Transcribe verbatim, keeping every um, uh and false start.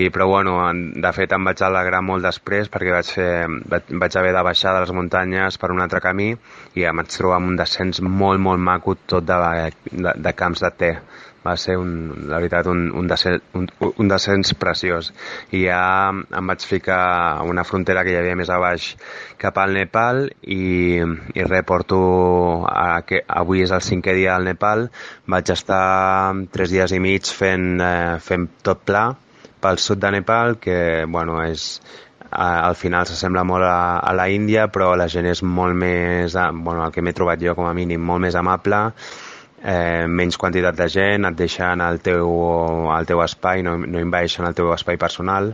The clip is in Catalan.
I, però bueno, de fet em vaig alegrar molt després perquè vaig, fer, vaig haver de baixar de les muntanyes per un altre camí i em vaig trobar amb un descens molt, molt maco, tot de, de, de camps de te. Va ser, un, la veritat, un, un, descens, un, un descens preciós. I ja em vaig ficar a una frontera que hi havia més a baix cap al Nepal i, i res, porto... A, que avui és el cinquè dia al Nepal. Vaig estar tres dies i mig fent, eh, fent tot pla pel sud de Nepal, que bueno, és, al final s'assembla molt a, a la Índia, però la gent és molt més, bueno, el que m'he trobat jo com a mínim, molt més amable, eh, menys quantitat de gent, et deixen al teu, al teu espai, no, no envaeixen el teu espai personal.